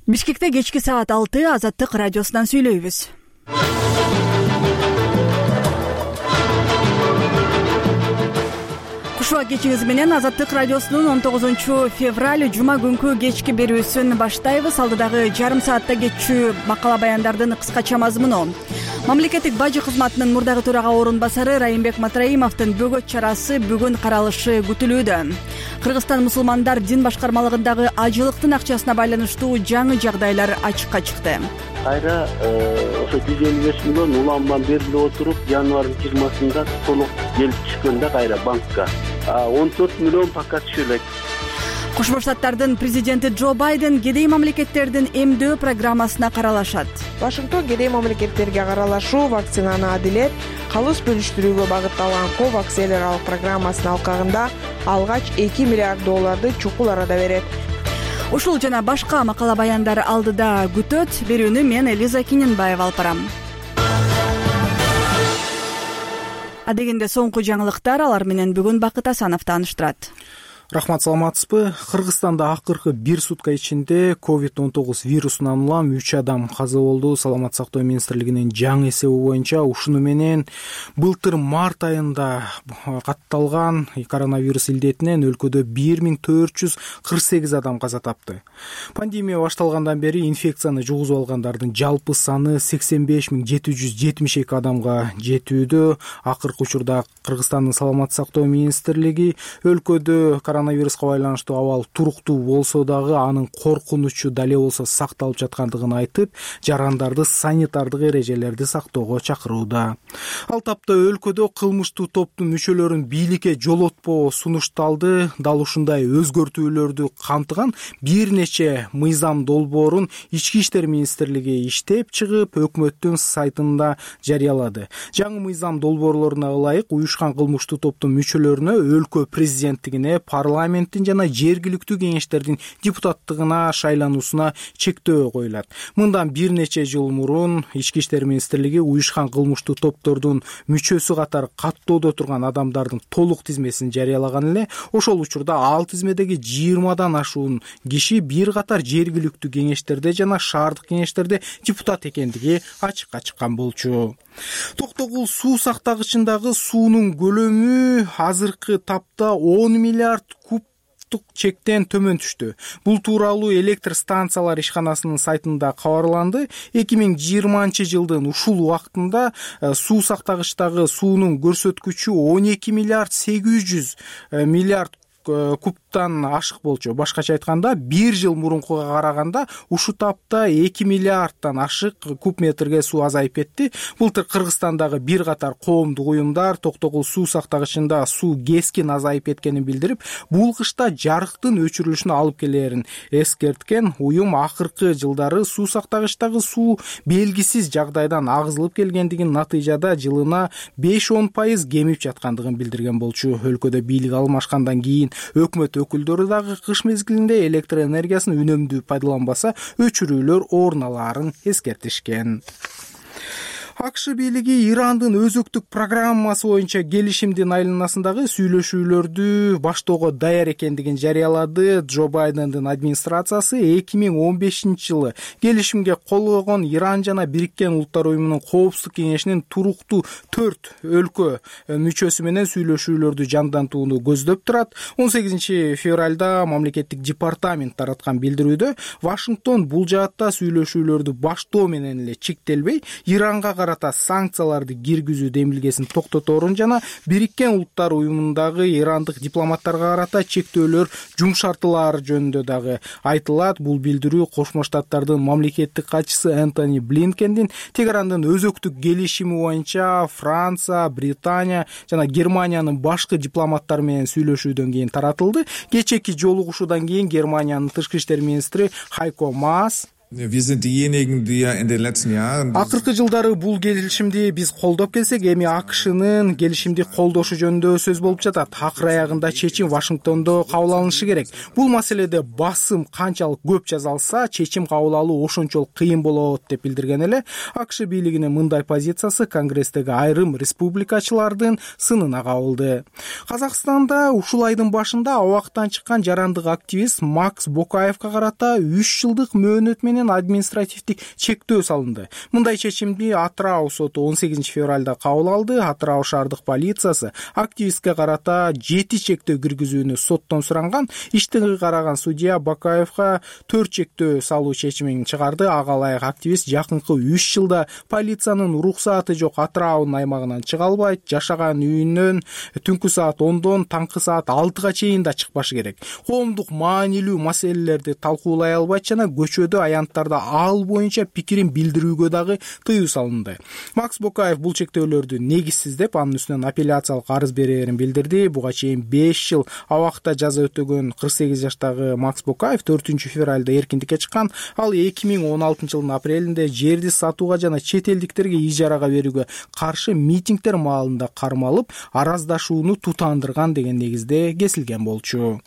Бишкекте кечки саат 6 Азаттык радиосунан сүйлөйбүз. Кушуа кечиңиз менен Азаттык радиосунун 19-февраль жума күнкү кечки берүүсүн баштайбыз. Алдыдагы жарым саатта кетчү макала баяндардын кыскача мазмуну. Мамлекеттик бажы кызматынын мурдагы төрага орун басары Райымбек Матраимовдун бөгөт чарасы бүгүн каралышы күтүлүүдө. Кыргызстан мусулмандар дин башкармалыгындагы ажылыктын акчасына байланыштуу жаңы жагдайлар ачыкка чыкты. Кайра ошо 155 миллион улам берилип отуруп, январдын 20-сында толук келип түшкөндө кайра банкка 14 миллион пока түшө элек. Кошмо Штаттардын президенти Джо Байден кедей мамлекеттердин эмдөө программасына каралашат. Вашингтон кедей мамлекеттерге каралашуу вакцинаны адилет, калыс бөлүштүрүүгө багытталган COVAX эл аралык программасынын алкагында алгач $2 миллиард чукул арада берет. Ушул жана башка макала баяндар алдыда күтөт. Берүүнү мен Элиза Киненбаева алып барам. Адегенде соңку жаңылыктар, алар менен бүгүн Бакыт Асанов тааныштырат. Рахмат, саламатсызбы? Кыргызстанда акыркы 1 сутка ичинде COVID-19 вирусунан улам 3 адам каза болду. Саламат сактоо министрлигинин жаңы эсеби боюнча ушуну менен былтыр март айында катталган коронавирус илдетинен өлкөдө 1448 адам каза тапты. Пандемия башталгандан бери инфекцияны жугузуп алгандардын жалпы саны 85772 адамга жетүүдө. Акыркы учурда Кыргызстандын саламат сактоо министрлиги өлкөдө коронавируска байланыштуу абал туруктуу болсо дагы анын коркунучу дале болсо сакталып жаткандыгын айтып, жарандарды санитардык эрежелерди сактоого чакырууда. Ал тапта өлкөдө кылмыштуу топтун мүчөлөрүн бийликке жолотпоо сунушталды. Дал ушундай өзгөртүүлөрдү камтыган бир нече мыйзам долбоорун Ички иштер министрлиги иштеп чыгып, өкмөттүн сайтында жарыялады. Жаңы мыйзам долбоорлоруна ылайык уюшкан кылмыштуу топтун мүчөлөрүнө өлкө президенттигине, парламенттин жана жергиликтүү кеңештердин депутаттыгына шайлануусуна чектөө коюлат. Мындан бир нече жыл мурун Ички иштер министрлиги уюшкан кылмыштуу топтордун мүчөсү катары каттоодо турган адамдардын толук тизмесин жарыялаган эле. Ошол учурда ал тизмедеги 20дан ашуун киши бир катар жергиликтүү кеңештерде жана шаардык кеңештерде депутат экендиги ачыкка чыккан болчу. Токтогул суу сактагычындагы суунун көлөмү азыркы тапта 10 миллиард кубтук чектен төмөн түштү. Бул тууралуу электр станциялар ишканасынын сайтында кабарланды. 2020 жылдын ушул убактында суу сактагычтагы суунун көрсөткүчү 12 миллиард 800 миллиард кубтан ашык болчу. Башкача айтканда, бир жыл мурункуга караганда ушу тапта 2 миллиардтан ашык куб метрге суу азайып кетти. Былтыр Кыргызстандагы бир катар коомдук уюмдар Токтогул суу сактагычында суу кескин азайып кеткенин билдирип, бул кышта жарыктын өчүрүлүшүнө алып келерин эскерткен. Уюм акыркы жылдары суу сактагычтагы суу белгисиз жагдайдан агызылып келгендигин, натыйжада жылына 5-10% кемип жаткандыгын билдирген болчу. Өлкөдө бийлик алмашкандан кийин өкмөт өкүлдөрү дагы кыш мезгилинде электр энергиясын үнөмдүү пайдаланбаса өчүрүүлөр орун алаарын эскертишкен. АКШ бийлиги Ирандын өзөктүк программасы боюнча келишимдин айланасындагы сүйлөшүүлөрдү баштоого даяр экендигин жарыялады. Джо Байдендин администрациясы 2015 жылы келишимге кол койгон Иран жана Бириккен Улуттар уюмунун коопсуздук кеңешинин туруктуу 4 өлкө мүчөсү менен сүйлөшүүлөрдү жандантууну көздөп турат. 18 февралда мамлекеттик департамент тараткан билдирүүдө Вашингтон бул жаатта сүйлөшүүлөрдү баштоо менен эле чектелбей, Иранга карата санкцияларды киргизүү демилгесин токтоторун жана Бириккен Улуттар уюмундагы ирандык дипломаттарга карата чектөөлөр жумшартылаар жөнүндө дагы айтылат. Бул билдирүү Кошмо Штаттардын мамлекеттик катчысы Энтони Блинкендин Тегерандын өзөктүк келишими боюнча Франция, Британия жана Германиянын башкы дипломаттары менен сүйлөшүүдөн кийин таратылды. Кечээки жолугушуудан кийин Германиянын тышкы иштер министри Хайко Маас акыркы жылдары бул келишимди биз колдоп келсек, эми АКШнын келишимди колдошу жөнүндө сөз болуп жатат. Акыр аягында чечим Вашингтондо кабыл алынышы керек. Бул маселеде басым канчалык көп жасалса, чечим кабыл алуу ошончолук кыйын болот деп билдирген эле. АКШ бийлигинин мындай позициясы Конгресстеги айрым республикачылардын сынына кабылды. Казакстанда ушул айдын башында абактан чыккан жарандык активист Макс Бокаевка карата 3 жылдык мөөнөт менен менен административдик чектөө салынды. Мындай чечимди Атырау соту 18 февралда кабыл алды. Атырау шаардык полициясы активистке карата 7 чектөө киргизүүнү соттон суранган. Иштиги караган судья Бакаевга 4 чектөө салуу чечимин чыгарды. Ага ылайык активист жакынкы 3 жылда полициянын уруксааты жок Атыраунун аймагынан чыга албайт, жашаган үйүнөн түнкү саат 10дон таңкы саат 6га чейин да чыкпашы керек. Коомдук маанилүү маселелерди талкуулай албайт жана көчөдө аянттарда ал боюнча пикирин билдирүүгө дагы тыюу салынды. Макс Бокаев бул чектөөлөрдү негизсиз деп, анын үстүнөн апелляциялык арыз берээрин билдирди. Буга чейин 5 жыл абакта жаза өтөгөн 48 жаштагы Макс Бокаев 4 февралда эркиндикке чыккан. Ал 2016 жылдын апрелинде жерди сатууга жана чет элдиктерге ижарага берүүгө каршы митингдер маалында кармалып, араздашууну тутандырган деген негизде кесилген болчу.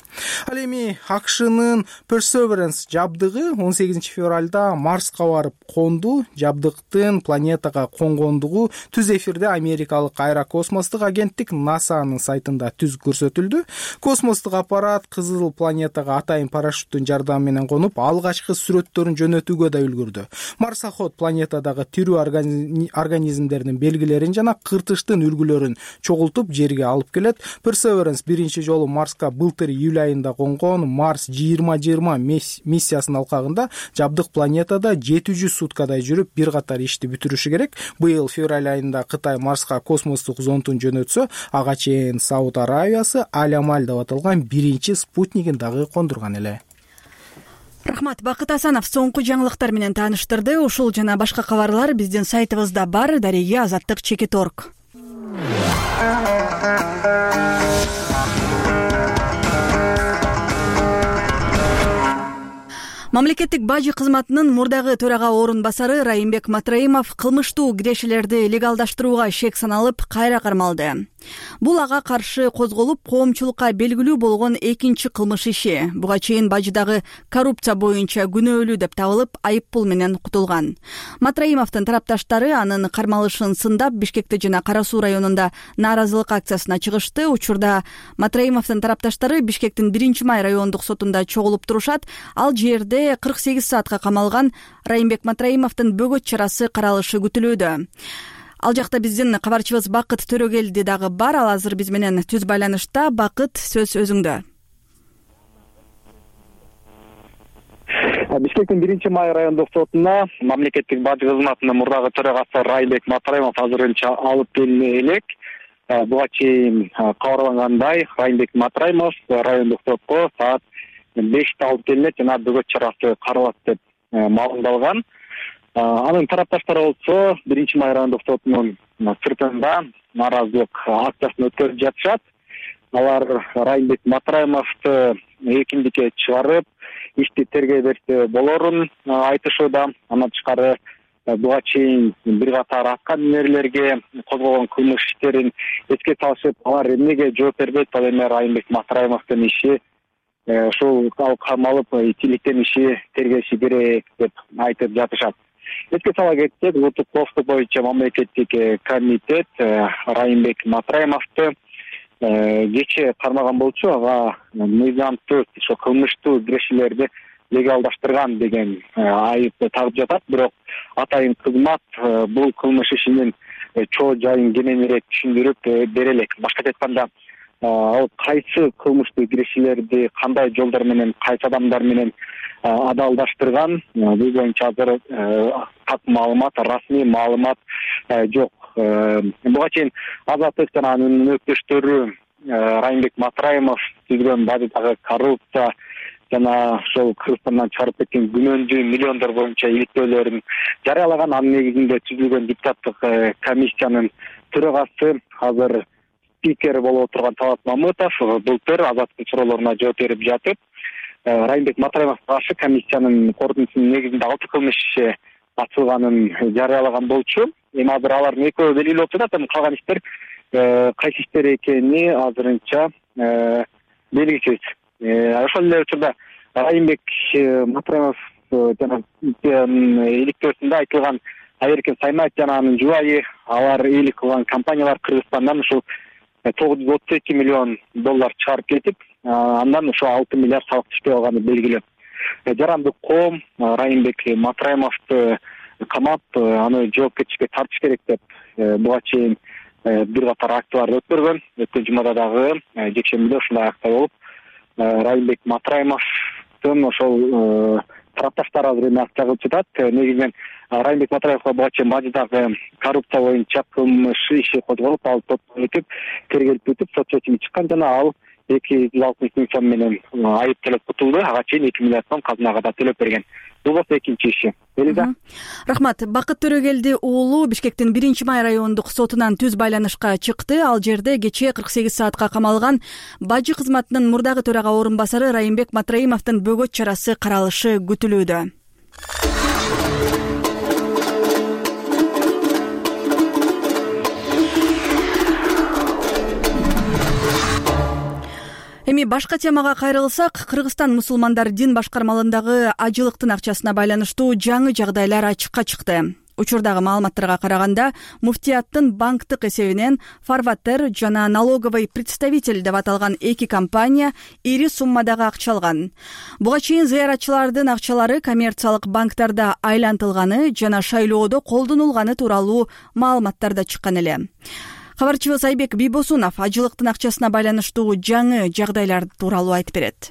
Ал эми АКШнын Perseverance жабдыгы 18 февралда Марска барып конду. Жабдыктын планетага конгондугу түз эфирде америкалык аэрокосмостук агенттик НАСАнын сайтында түз көрсөтүлдү. Космостук аппарат кызыл планетага атайын парашюттун жардамы менен конуп, алгачкы сүрөттөрүн жөнөтүүгө да үлгүрдү. Марсоход планетадагы тирүү организмдердин белгилерин жана кыртыштын үлгүлөрүн чогултуп жерге алып келет. Perseverance биринчи жолу Марска былтыр июль айында конгон. Марс 2020 миссиясынын алкагында жабдык планетада 700 суткадай жүрүп, бир катар ишти бүтүрүшү керек. Быйыл февраль айында Кытай Марска космостук зондун жөнөтсө, ага чейин Сауд Аравиясы Алямаль деп аталган биринчи спутнигин дагы кондурган эле. Рахмат. Бакыт Асанов соңку жаңылыктар менен тааныштырды. Ушул жана башка кабарлар биздин сайтыбызда бар. Дареге Азаттык.org. Мамлекеттик бажы кызматынын мурдагы төрага орун басары Райымбек Матраимов кылмыштуу кирешелерди легалдаштырууга шек саналып, кайра кармалды. Бул ага каршы козголуп, коомчулукка белгилүү болгон экинчи кылмыш иши. Буга чейин бажыдагы коррупция боюнча күнөөлүү деп табылып, айып пул менен кутулган. Матраимовдун тарапташтары анын кармалышын сындап, Бишкекте жана Кара Суу районунда нааразылык акциясына чыгышты. Учурда Матраимовдун тарапташтары Бишкектин 1-май райондук сотунда чогулуп турушат. Ал жерде 48 саатка камалган Райымбек Матраимовдун бөгөт чарасы каралышы күтүлүүдө. Ал жакта биздин кабарчыбыз Бакыт Төрөгелди дагы бар. Ал азыр биз менен түз байланышта. Бакыт, сөз өзүңдө. Бишкектин 1-май райондук сотуна мамлекеттик бажы кызматынын мурдагы төрагасы Райымбек Матраимов азырынча алып келине элек. Буга чейин кабарлангандай, Райымбек Матраимов райондук сотко саат 5-те алып келинет жана бөгөт чарасы каралат деп маалымдалган. Анын тарапташтары болсо 1-май райондук сотунун сыртында нааразылык акциясын өткөрүп жатышат. Алар Райымбек Матраимовду эркиндикке чыгарып, ишти тергөө берсе болорун айтышууда. Андан тышкары буга чейин бир катар аткаминерлерге козголгон кылмыш иштерин эске салышып, алар эмнеге жооп бербейт, ал эми Райымбек Матраимовдун иши ушул камалып тиликтен иши тергеши керек деп айтып жатышат. Эске сала кетсек, улуттук коопсуздук боюнча мамлекеттик комитет Райымбек Матраимовду кечээ кармаган болчу. Ага мыйзамсыз ошо кылмыштуу кирешелерди легалдаштырган деген айыпты тагып жатат. Бирок атайын кызмат бул кылмыш ишинин чоо жайын кененирээк түшүндүрүп бере элек. Башкача айтканда, ал кайсы кылмыштуу кирешелерди кандай жолдор менен, кайсы адамдар менен адалдаштырган, бул боюнча азыр так маалымат, расмий маалымат жок. Буга чейин Азаттык жана анын өктөштөрү Райымбек Матраимов түзгөн бажыдагы коррупция жана ошол Кыргызстандан чыгарып кеткен күнөөндүү миллиондор боюнча иликтөөлөрүн жарыялаган. Анын негизинде түзүлгөн депутаттык комиссиянын төрагасы азыр спикер болуп отурган Талат Мамытов былтыр Азаттыктын суроолоруна жооп берип жатып, Райымбек Матраимовго каршы комиссиянын корутундусунун негизинде 6 кылмыш иши ачылганын жарыялаган болчу. Эми азыр алардын экөө белгилүү болуп жатат. Калган иштер кайсы иштер экени азырынча белгисиз. Ошол эле учурда Райымбек Матраимов жана иликтөөсүндө айтылган Айеркен Саймаев жана анын жубайы алар ээлик кылган компаниялар Кыргызстандан ушул $932 миллион чыгарып кетип, андан ошо 6 миллиард салык түшпөй калганы белгилүү. жарандык коом Райымбек Матраимовду камап, аны жоопкерчиликке тартыш керек деп буга чейин бир катар акцияларды өткөргөн. Өткөн жумада дагы жекшембиде ушундай акция болуп, Райымбек Матраимовдун ошол тарапташтары азыр эми акция кылып жатат. Негизинен Райымбек Матраимовго буга чейин бажыдагы коррупция боюнча кылмыш иши козголуп, ал соттон өтүп, тергелип бүтүп, сот чечими чыккан жана ал 260 миң сом менен айып төлөп кутулду. Ага чейин 2 миллиард сом казынага да төлөп берген. Бул болсо экинчи иши. Рахмат. Бакыт Төрөгелди уулу Бишкектин 1-май райондук сотунан түз байланышка чыкты. Ал жерде кечээ 48 саатка камалган бажы кызматынын мурдагы төрага орун басары Райымбек Матраимовдун бөгөт чарасы каралышы күтүлүүдө. Эми башка темага кайрылсак, Кыргызстан мусулмандар дин башкармалыгындагы ажылыктын акчасына байланыштуу жаңы жагдайлар ачыкка чыкты. Учурдагы маалыматтарга караганда, муфтияттын банктык эсебинен фарватер жана налоговый представитель деп аталган эки компания ири суммадагы акча алган. Буга чейин зыяратчылардын акчалары коммерциялык банктарда айлантылганы жана шайлоодо колдонулганы тууралуу маалыматтар да чыккан эле. Кабарчыбыз Айбек Бийбосунов ажылыктын акчасына байланыштуу жаңы жагдайлар тууралуу айтып берет.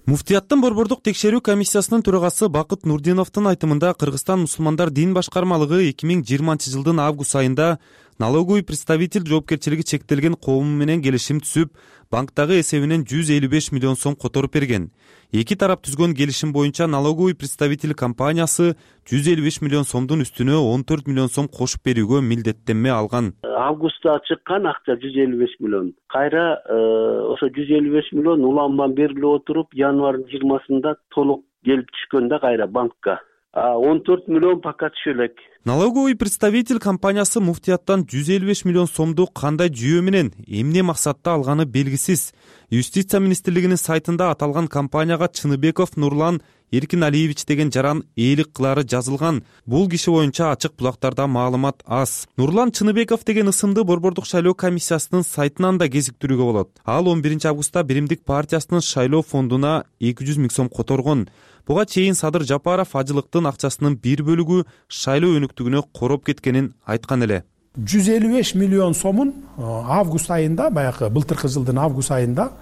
Муфтияттын борбордук текшерүү комиссиясынын төрагасы Бакыт Нурдиновдун айтымында Кыргызстан мусулмандар дин башкармалыгы 2020-жылдын август айында налоговый представитель жоопкерчилиги чектелген коому менен келишим түзүп, банктагы эсебинен 155 миллион сом которуп берген. Эки тарап түзгөн келишим боюнча налоговый представитель компаниясы 155 миллион сомдун үстүнө 14 миллион сом кошуп берүүгө милдеттенме алган. Августта чыккан акча 155 миллион. Кайра ошо 155 миллион уламдан берилип отуруп, январдын 20-сында толук келип түшкөн да кайра банкка. 14 миллион пока түшө элек. Налоговый представитель компаниясы муфтияттан 155 миллион сомду кандай жүйө менен, эмне максатта алганы белгисиз. Юстиция министрлигинин сайтында аталган компанияга Чыныбеков Нурлан Эркиналиевич деген жаран ээлик кылары жазылган. Бул киши боюнча ачык булактарда маалымат аз. Нурлан Чыныбеков деген ысымды борбордук шайлоо комиссиясынын сайтынан да кезиктирүүгө болот. Ал 11-августта Биримдик партиясынын шайлоо фондуна 200 миң сом которгон. Буга чейин Садыр Жапаров ажылыктын акчасынын бир бөлүгү шайлоо өнүктүгүнө короп кеткенин айткан эле. 155 миллион сомун август айында, баягы былтыркы жылдын август айында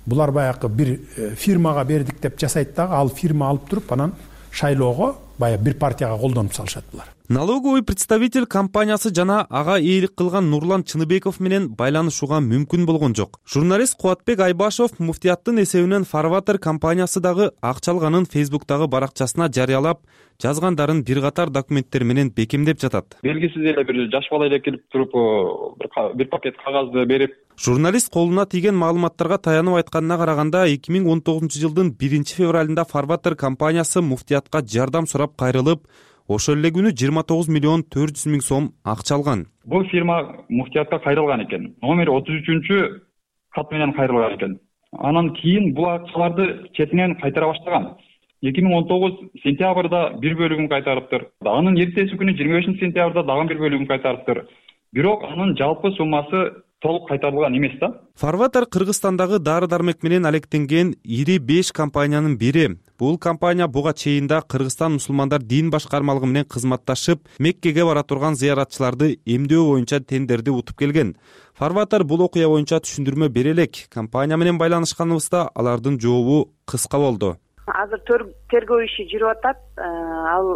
булар баягы бир фирмага бердик деп жасайт дагы, ал фирма алып туруп анан шайлоого баягы бир партияга колдонуп салышат булар. Налоговый представитель компаниясы жана ага ээлик кылган Нурлан Чыныбеков менен байланышууга мүмкүн болгон жок. Журналист Кубатбек Айбашов муфтияттын эсебинен фарватер компаниясы дагы акча алганын Фейсбуктагы баракчасына жарыялап, жазгандарын бир катар документтер менен бекемдеп жатат. Белгисиз эле бир жаш бала эле келип туруп бир пакет кагазды берип. Журналист колуна тийген маалыматтарга таянып айтканына караганда 2019-жылдын 1-февралында фарватер компаниясы муфтиятка жардам сурап кайрылып, ошол эле күнү 29 миллион 400 миң сом акча алган. Бул фирма муфтиятка кайрылган экен. Номер 33 кат менен кайрылган экен. Анан кийин бул акчаларды четинен кайтара баштаган. 2019 сентябрда бир бөлүгүн кайтарыптыр. Анын эртеси күнү 25-сентябрда дагы бир бөлүгүн кайтарыптыр. Бирок анын жалпы суммасы толук кайтарылган эмес да. Фарватер Кыргызстандагы дары-дармек менен алектенген ири 5 компаниянын бири. Бул компания буга чейин да Кыргызстан мусулмандар дин башкармалыгы менен кызматташып, Меккеге бара турган зыяратчыларды эмдөө боюнча тендерди утуп келген. Фарватер бул окуя боюнча түшүндүрмө бере элек. Компания менен байланышканыбызда алардын жообу кыска болду. Азыр тергөө иши жүрүп атат. Ал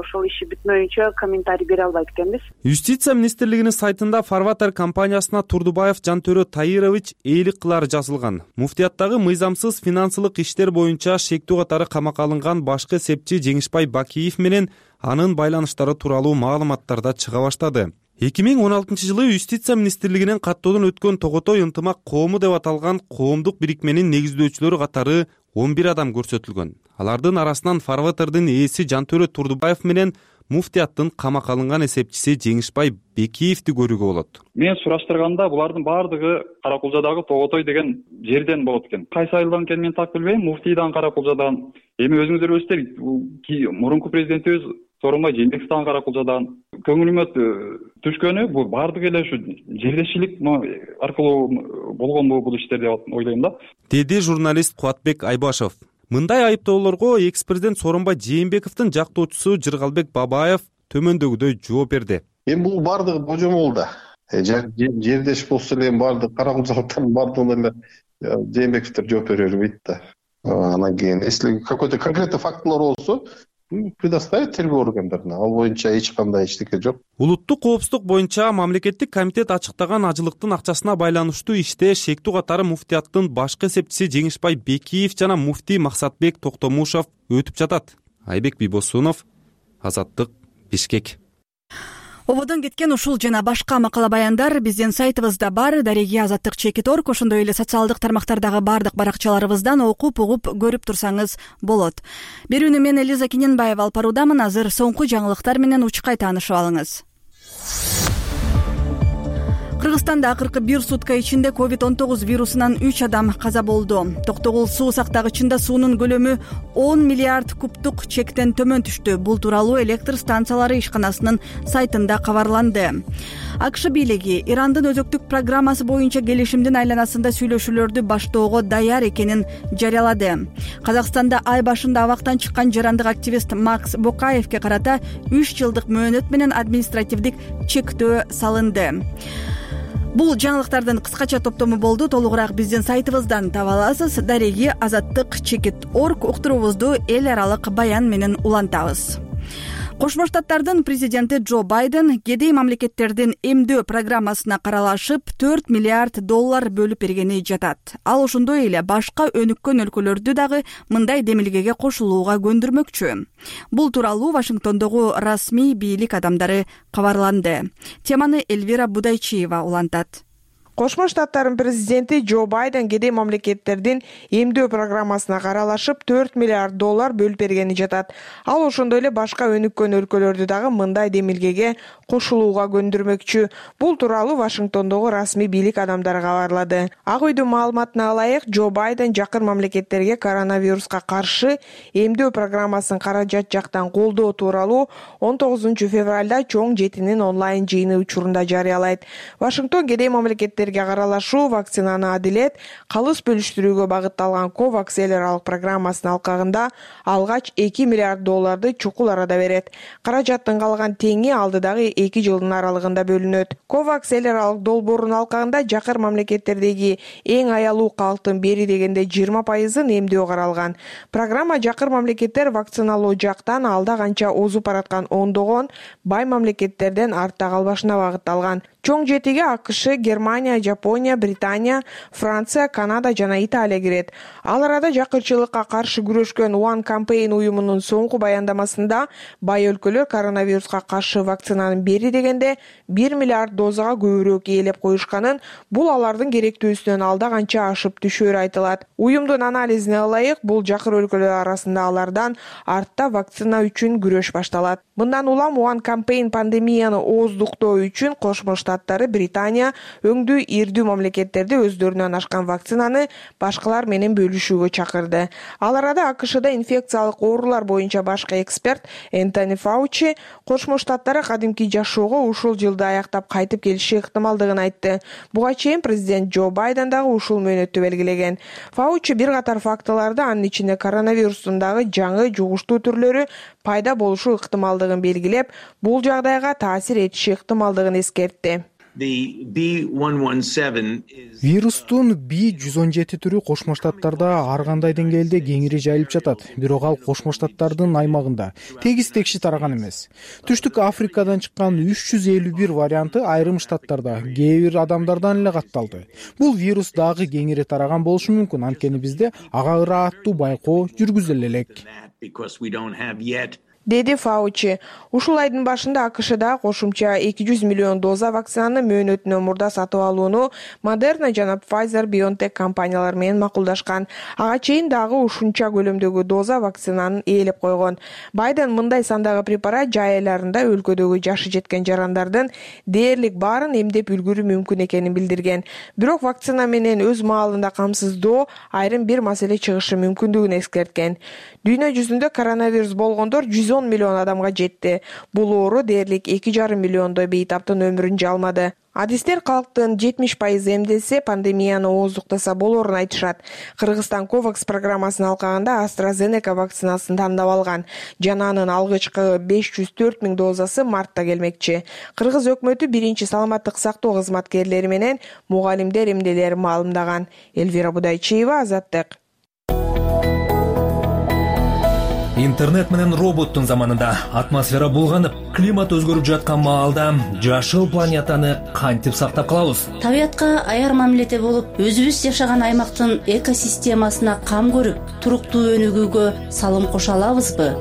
ошол иши бүтмөйүнчө комментарий бере албайт экенбиз. Юстиция министрлигинин сайтында фарватер компаниясына Турдубаев Жантөрө Таирович ээлик кылары жазылган. Муфтияттагы мыйзамсыз финансылык иштер боюнча шектүү катары камакка алынган башкы эсепчи Жеңишбай Бакиев менен анын байланыштары тууралуу маалыматтар да чыга баштады. 2016-жылы Юстиция министрлигинин каттоодон өткөн тоготой ынтымак коому деп аталган коомдук бирикменин негиздөөчүлөрү катары 11 адам көрсөтүлгөн. Алардын арасынан фарватердин ээси Жантөрө Турдубаев менен муфтияттын камакка алынган эсепчиси Жеңишбай Бекиевди көрүүгө болот. Мен сураштырганда булардын баардыгы Каракулжадагы Тоготой деген жерден болот экен. Кайсы айылдан экенин мен так билбейм. Муфтийдан Каракулжадан. Эми өзүңүздөр билесиздер, мурунку президентибиз Сооронбай Жээнбеков дагы Каракулжадан. Көңүлүмө түшкөнү бул баардыгы эле ушу жердешчилик аркылуу болгон бул иштер деп ойлойм да. Деди журналист Кубатбек Айбашов. Мындай айыптоолорго экс-президент Сооронбай Жээнбековдун жактоочусу Жыргалбек Бабаев төмөндөгүдөй жооп берди. Эми бул баардыгы божомол да. Жердеш болсо эле баардык карамырзалыктардын баардыгына эле Жээнбековдор жооп бере бербейт да. Анан кийин если какой-то конкретный фактылар болсо, предоставить тергөө органдарына. Ал боюнча эч кандай эчтеке жок. Улуттук коопсуздук боюнча мамлекеттик комитет ачыктаган ажылыктын акчасына байланыштуу иште шектүү катары муфтияттын башкы эсепчиси Жеңишбай Бекиев жана муфтий Максатбек Токтомушов өтүп жатат. Айбек Бийбосунов, Азаттык, Бишкек. Ободон кеткен ушул жана башка макала баяндар биздин сайтыбызда бар. Дареги Азаттык.org, ошондой эле социалдык тармактардагы бардык баракчаларыбыздан окуп угуп көрүп турсаңыз болот. Берүүнү мен Элиза Кененбаева алып баруудамын. Азыр соңку жаңылыктар менен учкай таанышып алыңыз. Кыргызстанда акыркы бир сутка ичинде COVID-19 вирусунан 3 адам каза болду. Токтогул суу сактагычында суунун көлөмү 10 миллиард кубтук чектен төмөн түштү. Бул тууралуу электр станциялары ишканасынын сайтында кабарланды. АКШ бийлиги Ирандын өзөктүк программасы боюнча келишимдин айланасында сүйлөшүүлөрдү баштоого даяр экенин жарыялады. Казакстанда ай башында абактан чыккан жарандык активист Макс Бокаевке карата 3 жылдык мөөнөт менен административдик чектөө салынды. Бул жаңылыктардын кыскача топтому болду. Толугураак биздин сайтыбыздан таба аласыз. Дареги Азаттык.org уктуруубузду эл аралык баян менен улантабыз. Кошмо Штаттардын президенти Джо Байден кедей мамлекеттердин эмдөө программасына каралашып $4 миллиард бөлүп бергени жатат. Ал ошондой эле башка өнүккөн өлкөлөрдү дагы мындай демилгеге кошулууга көндүрмөкчү. Бул тууралуу Вашингтондогу расмий бийлик адамдары кабарланды. Теманы Эльвира Будайчиева улантат. Кошмо Штаттардын президенти Джо Байден кедей мамлекеттердин эмдөө программасына каралашып $4 миллиард бөлүп бергени жатат. Ал ошондой эле башка өнүккөн өлкөлөрдү дагы мындай демилгеге кошулууга көндүрмөкчү. Бул тууралуу Вашингтондогу расмий бийлик адамдары кабарлады. Ак үйдүн маалыматына ылайык, Джо Байден жакын мамлекеттерге коронавируска каршы эмдөө программасын каражат жактан колдоо тууралуу 19 февралда чоң жетинин онлайн жыйыны учурунда жарыялайт. Вашингтон кедей мамлекеттерге каралашуу, вакцинаны адилет, калыс бөлүштүрүүгө багытталган COVAX эл аралык программасынын алкагында алгач $2 миллиард чукул арада берет. Каражаттын калган теңи алдыдагы 2 жылдын аралыгында бөлүнөт. COVAX эл аралык долбоорунун алкагында жакыр мамлекеттердеги эң аялуу калктын бери дегенде 20%-ын эмдөө каралган. Программа жакыр мамлекеттер вакциналоо жактан алда канча озуп бараткан ондогон бай мамлекеттерден артта калбашына багытталган. Чоң жетиге АКШ, Германия, Жапония, Британия, Франция, Канада жана Италия кирет. Ал арада жакырчылыкка каршы күрөшкөн One Campaign уюмунун соңку баяндамасында бай өлкөлөр коронавируска каршы вакцинанын бери дегенде 1 миллиард дозага көбүрөөк ээлеп коюшканын, бул алардын керектүүсүнөн алда канча ашып түшөрү айтылат. Уюмдун анализине ылайык, бул жакыр өлкөлөр арасында алардан артта вакцина үчүн күрөш башталат. Мындан улам One Campaign пандемияны ооздуктоо үчүн Кошмо Штаттары, Британия, өңдүү ирдүү мамлекеттерди өздөрүнөн ашкан вакцинаны башкалар менен бөлүшүүгө чакырды. Ал арада АКШда инфекциялык оорулар боюнча башкы эксперт Энтони Фаучи Кошмо Штаттары кадимки жашоого ушул жылды аяктап кайтып келиши ыктымалдыгын айтты. Буга чейин президент Джо Байден дагы ушул мөөнөттү белгилеген. Фаучи бир катар фактыларды, анын ичинде коронавирустун дагы жаңы жугуштуу түрлөрү пайда болушу ыктымалдыгын белгилеп, бул жагдайга таасир этиши ыктымалдыгын эскертти. Вирустун B117 түрү Кошмо Штаттарда ар кандай деңгээлде кеңири жайылып жатат. Бирок ал Кошмо Штаттардын аймагында тегиз-текши тараган эмес. Түштүк Африкадан чыккан 351 варианты айрым штаттарда кээ бир адамдардан эле катталды. Бул вирус дагы кеңири тараган болушу мүмкүн, анткени бизде ага ыраттуу байкоо жүргүзүлө элек, деди Фаучи. Ушул айдын башында АКШда кошумча 200 миллион доза вакцинаны мөөнөтүнөн мурда сатып алууну Moderna жана Pfizer-BioNTech компаниялары менен макулдашкан. Ага чейин дагы ушунча көлөмдөгү доза вакцинаны ээлеп койгон. Байден мындай сандагы препарат жай айларында өлкөдөгү жашы жеткен жарандардын дээрлик баарын эмдеп үлгүрүү мүмкүн экенин билдирген. Бирок вакцина менен өз маалында камсыздоо айрым бир маселе чыгышы мүмкүндүгүн эскерткен. Дүйнө жүзүндө коронавирус болгондор 110 110 миллион адамга жетти. Бул оору дээрлик 2,5 миллиондой бейтаптын өмүрүн жалмады. Адистер калктын 70% эмдесе, пандемияны ооздуктаса болорун айтышат. Кыргызстан Ковакс программасын алкаганда AstraZeneca вакцинасын тандап алган. Жана анын алгычкы 504 000 дозасы мартта келмекчи. Кыргыз өкмөтү биринчи саламаттык сактоо кызматкерлери менен мугалимдер эмнелерин маалымдаган. Элвира Будайчиева, Азаттык. Интернет менен роботтун заманында атмосфера булганып, климат өзгөрүп жаткан маалда жашыл планетаны кантип сактап калабыз? Табиятка аяр мамиледе болуп, өзүбүз жашаган аймактын экосистемасына кам көрүп, туруктуу өнүгүүгө салым кошо алабызбы?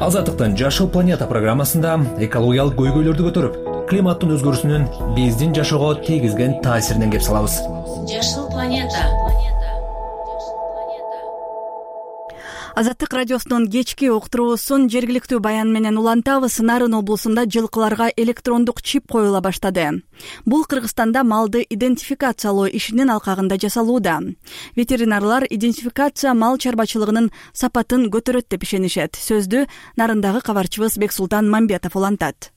Азаттыктын Жашыл планета программасында экологиялык көйгөйлөрдү көтөрүп, климаттын өзгөрүүсүнүн биздин жашоого тийгизген таасиринен кеп салабыз. Жашыл планета. Азаттык радиосунун кечки уктуруусун жергиликтүү баян менен улантабыз. Нарын облусунда жылкыларга электрондук чип коюла баштады. Бул Кыргызстанда малды идентификациялоо ишинин алкагында жасалууда. Ветеринарлар идентификация мал чарбачылыгынын сапатын көтөрөт деп ишенишет. Сөздү Нарындагы кабарчыбыз Бексултан Мамбетов улантат.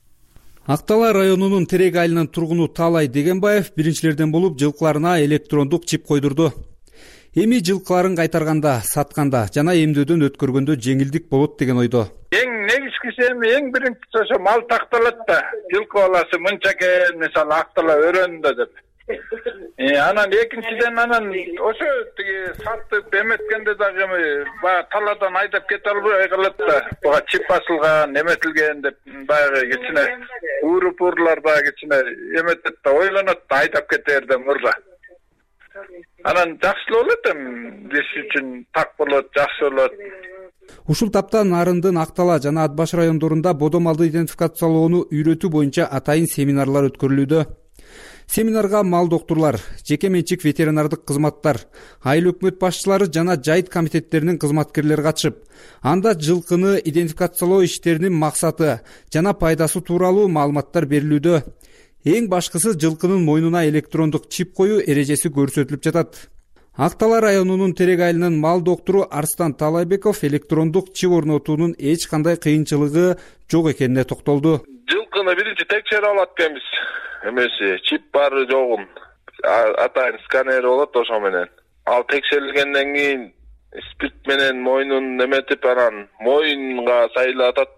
Ак Тала районунун Терек айылынын тургуну Таалай Дегенбаев биринчилерден болуп жылкыларына электрондук чип койдурду. Эми жылкыларын кайтарганда, сатканда жана эмдөөдөн өткөргөндө жеңилдик болот деген ойдо. Эң негизгиси эң биринчиси ошо мал такталат да. Жылкы баласы мынча экен, мисалы актала өрөндө деп. Анан экинчиден ошо тиги сатып эметкенде дагы баягы таладан айдап кете албай калат да. Буга чип басылган, эметилген деп баягы кичине уурупурлар баягы кичине эметет да, ойлонот да айдап кетерден мурда. Анан жакшы болот биз үчүн так болот, жакшы болот. Ушул тапта Нарындын Ак Тала жана Ат Баш райондорунда бодо малды идентификациялоону үйрөтүү боюнча атайын семинарлар өткөрүлүүдө. Семинарга мал доктурлар, жеке менчик ветеринардык кызматтар, айыл өкмөт башчылары жана жайыт комитеттеринин кызматкерлери катышып, анда жылкыны идентификациялоо иштеринин максаты жана пайдасы тууралуу маалыматтар берилүүдө. Эң башкысы жылкынын мойнуна электрондук чип коюу эрежеси көрсөтүлүп жатат. Ак Тала районунун Терек айылынын мал доктору Арстан Талайбеков электрондук чип орнотуунун эч кандай кыйынчылыгы жок экенине токтолду. Жылкыны биринчи текшерип алат экенбиз. Эмеси чип бары жогун атайын сканер болот, ошо менен. Ал текшерилгенден кийин спирт менен мойнун эметип, анан моюнга сайлатат,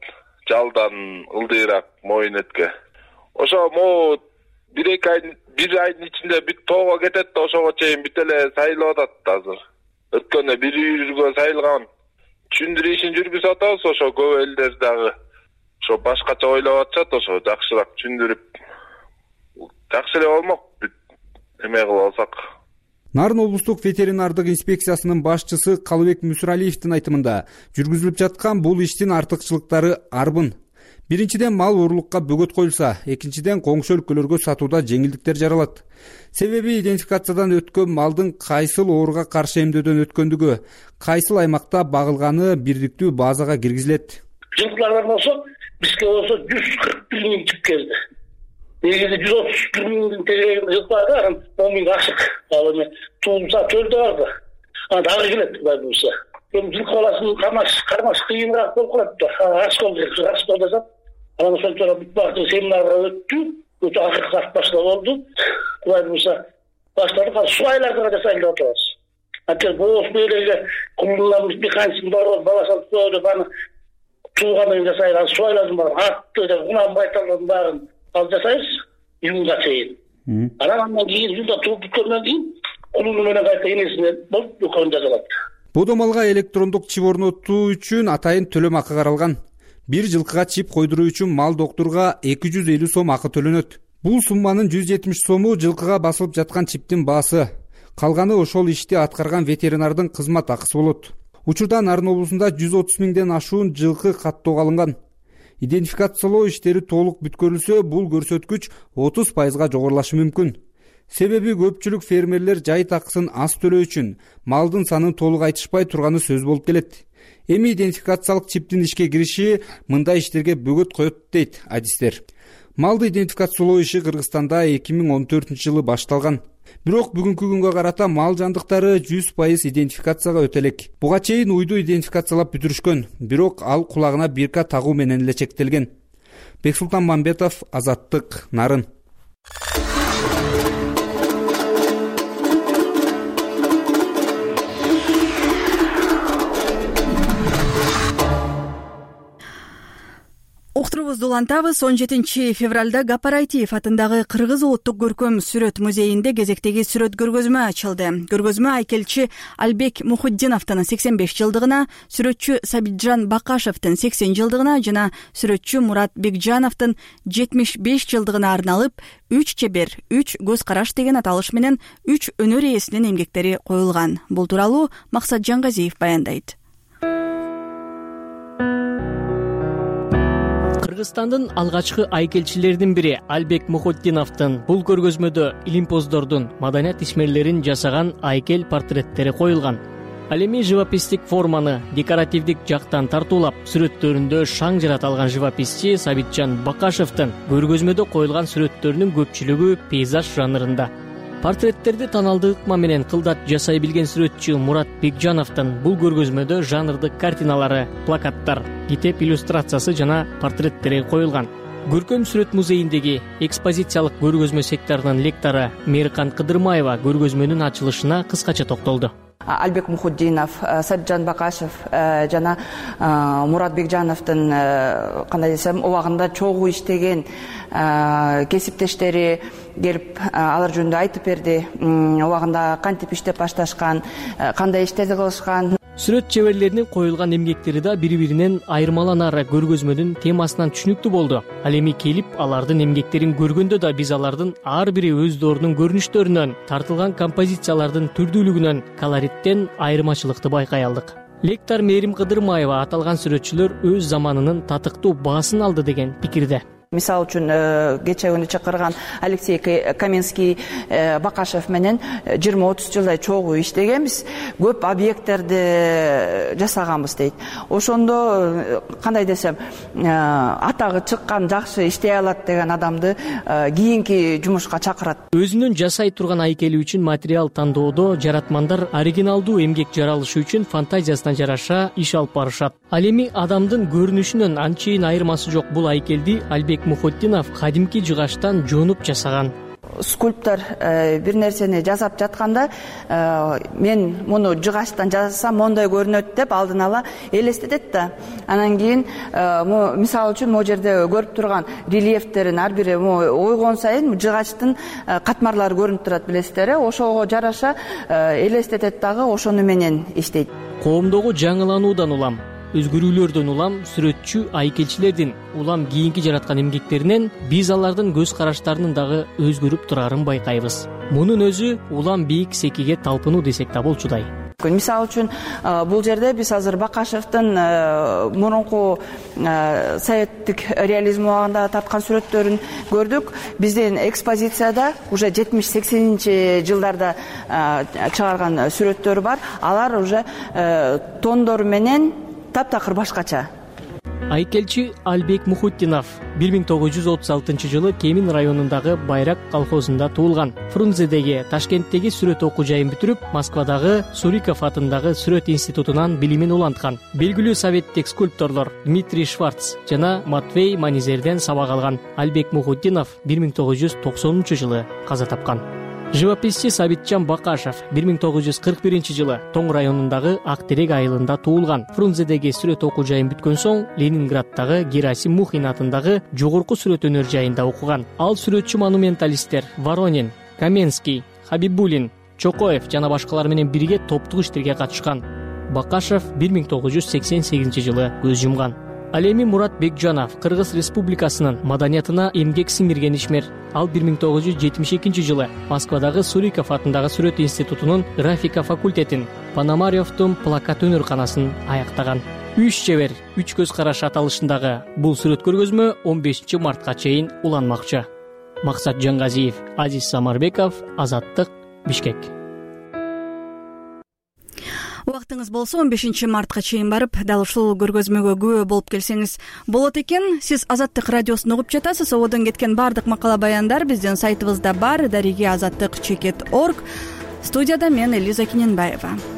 жалдан ылдыйраак моюн этке. Ошо могу бир айдын ичинде бүт тоого кетет да, ошого чейин бүт эле сайлап атат азыр. Өткөндө бир үйргө сайылган. Түшүндүрүү ишин жүргүзүп атабыз, ошо көп элдер дагы ошо башкача ойлоп атышат, ошо жакшыраак түшүндүрүп жакшы эле болмок бүт эме кылып алсак. Нарын облустук ветеринардык инспекциясынын башчысы Калыбек Мүсүралиевдин айтымында жүргүзүлүп жаткан бул иштин артыкчылыктары арбын. Биринчиден мал уурулукка бөгөт коюлса, экинчиден коңшу өлкөлөргө сатууда жеңилдиктер жаралат. Себеби идентификациядан өткөн малдын кайсыл ооруга каршы эмдөөдөн өткөндүгү, кайсыл аймакта багылганы бириктүү базага киргизилет. Жылкылардан болсо, бизге болсо 141 000 чип келди. Негизи 131 000 тегерегин жылкылар бар, 10 000 ашык. Ал эми туулса төлдө барды. Дагы келет Кудай буйрса. Жылкы баласын кармаш кыйыныраак болуп калат да. Раскол жасап, анан ошончо бүт багыттын семинарга өттү. Өтө акыркы башталып болду. Кудай буйрса баштадык. Суу айларды да жасайлы деп атабыз. Атер боос белеге кулунан бир канчасын бар баласын деп аны туугандан кийин жасайлы. Суу айлардын баарын атты деп унан байталдын баарын алып жасайбыз июнга чейин. Анан кийин июнда тууп бүткөндөн кийин кулуну менен кайта энесине болуп экөөнү жасалат. Бодо малга электрондук чип орнотуу үчүн атайын төлөм акы каралган. Бир жылкыга чип койдуруу үчүн мал доктурга 250 сом акы төлөнөт. Бул сумманын 170 сому жылкыга басылып жаткан чиптин баасы. Калганы ошол ишти аткарган ветеринардын кызмат акысы болот. Учурда Нарын облусунда 130 000ден ашуун жылкы каттоого алынган. Идентификациялоо иштери толук бүткөрүлсө, бул көрсөткүч 30% жогорулашы мүмкүн. Себеби көпчүлүк фермерлер жайыт акысын аз төлөө үчүн малдын санын толук айтышпай турганы сөз болуп келет. Эми идентификациялык чиптин ишке кириши мындай иштерге бөгөт коет дейт адистер. Малды идентификациялоо иши Кыргызстанда 2014 жылы башталган. Бирок бүгүнкү күнгө карата мал жандыктары 100% идентификацияга өтө элек. Буга чейин уйду идентификациялап бүтүрүшкөн, бирок ал кулагына бирка тагуу менен эле чектелген. Бексултан Мамбетов, Азаттык, Нарын. Уктурубузду улантабыз. 17 февралда Гапарайтиев атындагы Кыргыз улуттук көркөм сүрөт музейинде кезектеги сүрөт көргөзмө ачылды. Көргөзмө айкелчи Албек Мухуддиновдун 85 жылдыгына, сүрөтчү Сабитжан Бакашевдин 80 жылдыгына жана сүрөтчү Мурат Бекжановдун 75 жылдыгына арналып 3 чебер, 3 көз караш деген аталыш менен 3 өнөр ээсинин эмгектери коюлган. Бул тууралуу Максат Жаңгазиев баяндайт. Кыргызстандын алгачкы айкелчилеринин бири Албек Мухуддиновдун бул көргөзмөдө илимпоздордун, маданият ишмерлерин жасаган айкел портреттери коюлган. Ал эми живописдик форманы декоративдик жактан тартуулап, сүрөттөрүндө шаң жарата алган живописчи Сабитжан Бакашевдин көргөзмөдө коюлган сүрөттөрүнүн көпчүлүгү пейзаж жанрында. Портреттерди таанылдуу ыкма менен кылдат жасай билген сүрөтчү Мурат Бекжановдун бул көргөзмөдө жанрдык картиналары, плакаттар, китеп иллюстрациясы жана портреттери коюлган. Көркөм сүрөт музейиндеги экспозициялык көргөзмө секторунун лектору Мейиркан Кыдырмаева көргөзмөнүн ачылышына кыскача токтолду. Албек Мухуддинов, Сабитжан Бакашев жана Мурат Бекжановдун кандай десем убагында чогуу иштеген кесиптештери келип алар жөнүндө айтып берди. Убагында кантип иштеп башташкан, кандай иштерди кылышкан. Сүрөт чеберлеринин коюлган эмгектери да бири-биринен айырмаланары көргөзмөнүн темасынан түшүнүктүү болду. Ал эми келип алардын эмгектерин көргөндө да биз алардын ар бири өздөрүнүн көрүнүштөрүнөн, тартылган композициялардын түрдүүлүгүнөн, колориттен айырмачылыкты байкай алдык. Лектор Мээрим Кыдырмаева аталган сүрөтчүлөр өз заманынын татыктуу баасын алды деген пикирде. Мисалы үчүн кече күнү чакырган Алексей Каменский Бакашев менен 20-30 жылдай чогуу иштегенбиз, көп объекттерди жасаганбыз дейт. Ошондо кандай десем, атагы чыккан, жакшы иштей алат деген адамды кийинки жумушка чакырат. Өзүнүн жасай турган айкели үчүн материал тандоодо жаратмандар оригиналдуу эмгек жаралышы үчүн фантазиясына жараша иш алып барышат. Ал эми адамдын көрүнүшүнөн анчейин айырмасы жок бул айкелди Албек Мухуддинов кадимки жыгачтан жонуп жасаган. Скульптор бир нерсени жасап жатканда мен муну жыгачтан жасасам мондай көрүнөт деп алдын ала элестетет да. Анан кийин мисалы үчүн могу жерде көрүп турган рельефтерин ар бири ойгон сайын жыгачтын катмарлары көрүнүп турат, билесиздер. Ошого жараша элестетет дагы, ошону менен иштейт. Коомдогу жаңылануудан улам, өзгөрүүлөрдөн улам сүрөтчү айкелчилердин улам кийинки жараткан эмгектеринен биз алардын көз караштарынын дагы өзгөрүп турарын байкайбыз. Мунун өзү улам бийик секиге талпынуу десек да болчудай. Мисалы үчүн бул жерде биз азыр Бакашевдин мурунку советтик реализм убагында тарткан сүрөттөрүн көрдүк. Биздин экспозицияда уже 70-80 жылдарда чыгарган сүрөттөр бар. Алар уже тондору менен таптакыр башкача. Айкелчи Албек Мухуддинов 1936 жылы Кемин районундагы Байрак колхозунда туулган. Фрунзедеги, Ташкенттеги сүрөт окуу жайын бүтүрүп, Москвадагы Суриков атындагы сүрөт институтунан билимин уланткан. Белгилүү советтик скульпторлор Дмитрий Шварц жана Матвей Манизерден сабак алган. Албек Мухуддинов 1990 жылы каза тапкан. Живописчи Сабитжан Бакашев 1941 жылы Тоң районундагы Актерек айылында туулган. Фрунзедеги сүрөт окуу жайын бүткөн соң Ленинградтагы Герасим Мухин атындагы жогорку сүрөт өнөр жайында окуган. Ал сүрөтчү монументталисттер Воронин, Каменский, Хабибулин, Чокоев жана башкалар менен бирге топтук иштерге катышкан. Бакашев 1988 жылы көз жумган. Ал эми Мурат Бекжанов Кыргыз Республикасынын маданиятына эмгек сиңирген ишмер. Ал 1972 жылы Москвадагы Суриков атындагы сүрөт институтунун графика факультетин, Пономаревдун плакат өнөрканасын аяктаган. 3 чебер, 3 көз караш аталышындагы бул сүрөт көргөзмө 15 мартка чейин уланмакчы. Максат Жаңгазиев, Азиз Самарбеков, Азаттык, Бишкек. убактыңыз болсо 15 мартка чейин барып дал ушул көргөзмөгө күбө болуп келсеңиз болот экен. Сиз Азаттык радиосун угуп жатасыз. Ободон кеткен баардык макала баяндар биздин сайтыбызда бар. дариги azаттык.org. Студияда мен Элиза Кененбаева.